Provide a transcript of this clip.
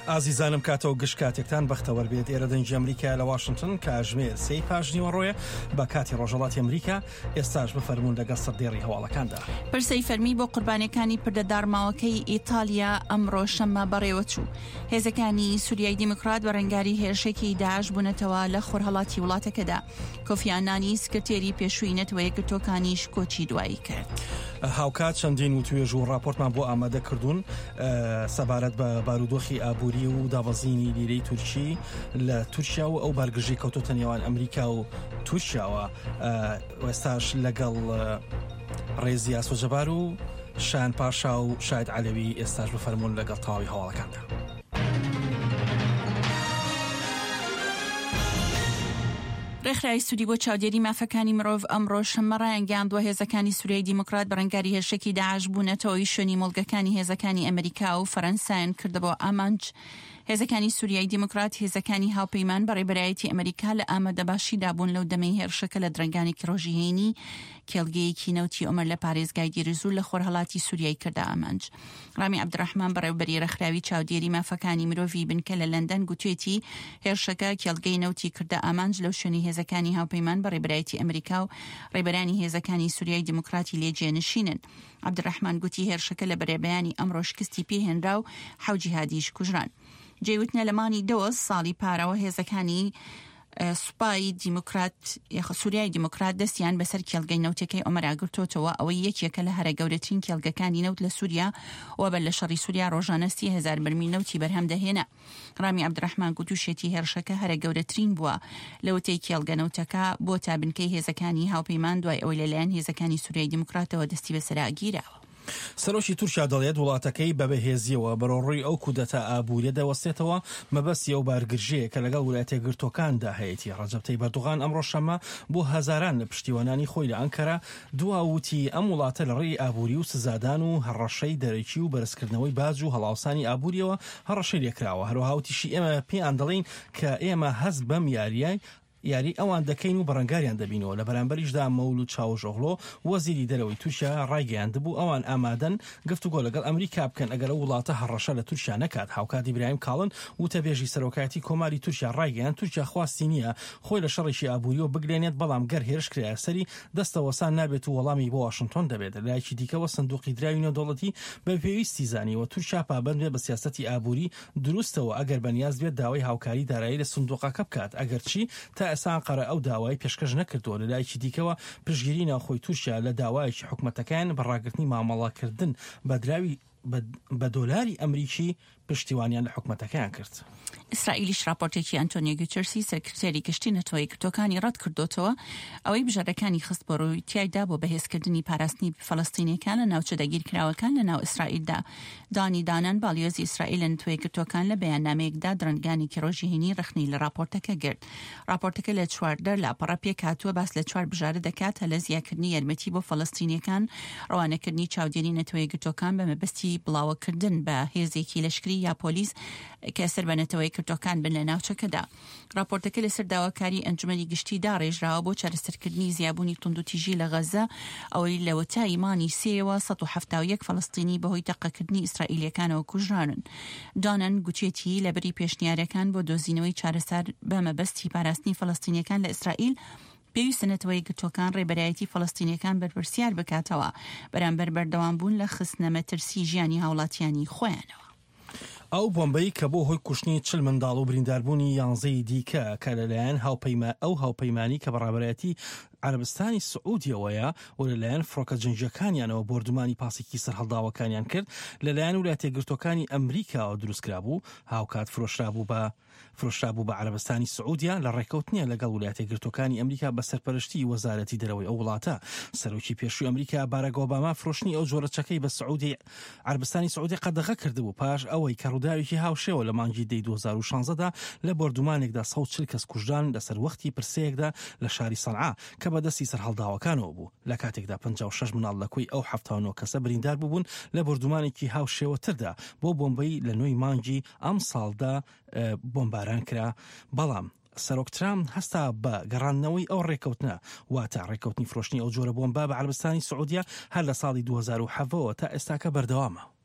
ئازیزانم کاتەوە گشت کاتێکتان بەختەوەر بێت ئێرە دەنگی ئەمریکا لە واشنتن کاژمێر سێی پاش نیوەڕۆیە بە کاتی ڕۆژهەڵاتی ئەمریکا ئێستاش بفەرموون لەگەڵ سەردێڕی هەواڵەکاندا. پرسەی فەرمی بۆ قوربانیەکانی پردە داڕماوەکەی ئیتالیا ئەمڕۆ شەممە بەڕێوەچوو. هێزەکانی سوریای دیموکرات بەرەنگاری هێرشێکی داعش بوونەتەوە لە خۆرهەڵاتی وڵاتەکەدا. کۆفی ئانانی سکرتێری پێشووی نەتەوە یەکگرتووەکانیش کۆچی دوایی کرد. هاوکات چەندین وتوێژ و ڕاپۆرتمان بۆ ئامادە کردوون سەبارەت بە بارودۆخی ئابووری و دابەزینی لیرەی تورکی لە تورکیا و ئەو بارگرژی کەوتۆتە نێوان ئەمریکا و تورکیاوە ئێستاش لەگەڵ ڕێزی ئاسۆ جەبار و شایان پاشا و شاید عەلەوی ئێستاش بفەرموون لەگەڵ تەواوی هەواڵەکاندا. ڕێکخراوی سوری بۆ چاودێری مافەکانی مرۆڤ ئەمڕۆ شەممە ڕایانگەیاندووە هێزەکانی سوریای دیموکرات بەرەنگاری هێرشێکی داعش بوونەتەوەی شوێنی مۆڵگەکانی هێزەکانی ئەمریکا و فەرەنسایان کردبووە ئامانج. هێزەکانی سوریای دیموکرات هێزەکانی هاوپەیمان بە ڕێبەرایەتی ئەمریکا لە ئامادەباشیدا بوون لەو دەمەی هێرشەکە لە درەنگانێکی ڕۆژی هەینی کێڵگەیەکی نەوتی ئۆمەر لە پارێزگای دیرزور لە خۆرهەڵاتی سوریای کردە ئامانج. ڕامی عەبدولڕەحمان بەڕێوەبەری ڕێکخراوی چاودێری مافەکانی مرۆڤی بنکە لە لەندەن گوتوێتی هێرشەکە کێڵگەی نەوتی کردە ئامانج لەو شوێنەی هێزەکانی هاوپەیمان بە ڕێبەرایەتی ئەمریکا و ڕێبەرانی هێزەکانی سوریای دیموکراتی لێ جێنشینن. عەبدولڕەحمان گوتی هێرشەکە لە بەرەبەیانی ئەمڕۆ شکستی پێهێنرا و حەو جیهادیش کوژران. جێی وتنە لە مانگی دەوە ساڵی پارەوە هێزەکانی سوپای دیموکرات سوریای دیموکرات دەستیان بەسەر کێڵگەی نەوتەکەی ئۆمەرا گرتۆتەوە ئەوەی یەکێکە لە هەرە گەورەترین کێڵگەکانی نەوت لە سوریا و بەر لە شەڕی سوریا ڕۆژانە 30هزار بەرمیل نەوتی بەرهەم دەهێنا. ڕامی عەبدولڕەحمان گوتوشێتی هێرشەکە هەرە گەورەترین بووە لەوەتەی کێڵگە نەوتەکە بۆتە بنکەی هێزەکانی هاوپەیمان دوای ئەوەی لەلایەن هێزەکانی سوریای دیموکراتەوە دەستی بەسەرا گیراوە. سەرۆکی تورکیا دەڵێت وڵاتەکەی بە بەهێزییەوە بەرەوڕووی ئەو کودەتا ئابووریە دەوەستێتەوە، مەبەستی ئەو بارگرژییەیە کە لەگەڵ ولایەتەیەکگرتووەکاندا هەیەتی. ڕەجەب تەیب ئەردۆغان ئەمڕۆ شەممە بۆ هەزاران لە پشتیوانانی خۆی لە ئەنکەرە دوا و وتی ئەم وڵاتە لە ڕێی ئابووری و سزادان و هەڕەشەی دەرەکی و بەرزکردنەوەی باج و هەڵاوسانی ئابوورییەوە هەڕەشەی لێکراوە. هەروەها وتیشی ئێمە پێیان دەڵێین کە ئێمە هەست بەم یارییە یاری ئەوان دەکەین و بەڕەنگاریان دەبینەوە، لە بەرامبەریشدا مەولود چاوشئۆغلۆ وەزیری دەرەوەی تورکیا ڕایگەیاندبوو ئەوان ئامادەن گفتوگۆ لەگەڵ ئەمریکا بکەن ئەگەر ئەو وڵاتە هەڕەشە لە تورکیا نەکات. هاوکات ئیبراهیم کاڵن وتەبێژی سەرۆکایەتی کۆماری تورکیا ڕایگەیاند تورکیا خواستی نییە خۆی لە شەڕێکی ئابووریەوە بگلێنێت بەڵام گەر هێرش کرایە سەری دەستەوەسان نابێت و وەڵامی بۆ واشنتۆن دەبێت. لەلایەکی دیکەوە سندوقی دراوی نێودەوڵەتی بە پێویستی زانیوە تورکیا پابەند بێت بە سیاسەتی ئابووری دروستەوە ئەگەر بەنیاز بێت داوای هاوکاری دارایی لە سندوقەکە بکات، ئەگەرچی تا ئێستا ئەنقەرە ئەو داوایەی پێشکەش نەکردووە. لەلایەکی دیکەوە پشتگیری ناوخۆی تورکیا لە داوایەکی حکومەتەکەیان بە ڕاگرتنی مامەڵەکردن بە دراوی بە دۆلاری ئەمریکی پشتیوانیان لە حکومەتەکەیان کرد. ئیسرائیلیش راپۆرتێکی ئەنتۆنیۆ گوتێرسی سکرتێری گشتی نەتەوە یەکگرتووەکانی ڕەتکردۆتەوە، ئەوەی بژاردەکانی خست بۆ ڕووی تیایدا بۆ بەهێزکردنی پاراستنی فەلەستینیەکان لە ناوچە داگیرکراوەکان لە ناو ئیسرائیلدا. دانی دانان باڵیۆزی ئیسرائیل لە نەتەوە یەکگرتووەکان لە بەیاننامەیەکدا درەنگانێکی ڕۆژی هەینی ڕەخنەی لە ڕاپۆرتەکە گرت. ڕاپۆرتەکە لە 14 لاپەڕە پێکهاتووە باس لە چوار بژارە دەکات هەلە زیاکردنی یارمەتی بۆ فەلەستینیەکان، ڕەوانەکردنی چاودێری نەتەوە یەکگرتووەکان بە مەبەستی بڵاوەکردن بە هێزێکی لەشکری یا پۆلیس کە سەر بە نەتەوە یەکگرتووەکان بن لە ناوچەکەدا. ڕاپۆرتەکە لەسەر داواکاری ئەنجومەنی گشتی داڕێژراوە بۆ چارەسەرکردنی زیابوونی توندوتیژی لە غەززە، ئەوەی لەوەتای مانگی سێیەوە 171 فەلەستینی بەهۆی تەقەکردنی ئیسرائیلییەکانەوە کوژرانن. دانن گوتیەتی لەبری پێشنیارەکان بۆ دۆزینەوەی چارەسەر بە مەبەستی پاراستنی فەلەستینییەکان لە ئیسرائیل، پێویستە نەتەوە یەکگرتووەکان ڕێبەرایەتی فەلەستینییەکان بەرپرسیار بکاتەوە بەرامبەر بەردەوامبوون لە خستنە مەترسی ژیانی هاوڵاتیانی خۆیانەوە. ئەو بۆمبەی کە بۆ هۆی کوشتنی چل منداڵ و برینداربوونی یانزەی دیکە کە لەلایەن هاوپەیما ئەو هاوپەیمانی کە بە ڕابەرایەتی عەرەبستانی سعودیەوەیە و لەلایەن فڕۆکە جەنگییەکانیانەوە بۆردومانی پاسێکی سەرهەڵداوەکانیان کرد لەلایەن ولایەتەیەکگرتووەکانی ئەمریکاوە دروستکرابوو هاوکات فرۆشرابوو بە فرۆشرابوو بە عەرەبستانی سعودیە لە ڕێککەوتنیان لەگەڵ ولایەتە یەکگرتووەکانی ئەمریکا بە سەرپەرشتی وەزارەتی دەرەوەی ئەو وڵاتە. سەرۆکی پێشووی ئەمریکا باراک ئۆباما فرۆشتنی ئەو جۆرە چەکەی بە سعودی عەربستانی سعودیە قەدەغە کردبوو پاش ئەوەی کە ڕووداوێکی هاوشێوە لە مانگی دەی 2016 دا لە بۆردومانێکدا 140 کەس کوژران لەسەر وەختی پرسەیەکدا لە شاری سەنعا کە بە دەستی سەرهەڵداوەکانەوە بوو لە کاتێکدا 56 مناڵ لە کۆی ئەو 79 کەسە بریندار بووبوون لە بۆردومانێکی هاوشێوەتردا بۆ بۆمبەی لە نۆی مانگی ئەمساڵدا بۆمباران کرا، بەڵام سەرۆک ترامپ هەستا بە گەڕاندنەوەی ئەو ڕێککەوتنە، واتە ڕێککەوتنی فرۆشتنی ئەو جۆرە بۆمبە بە عەرەبستانی سعودیە هەر لە ساڵی 2017 ەوە تا ئێستاکە بەردەوامە.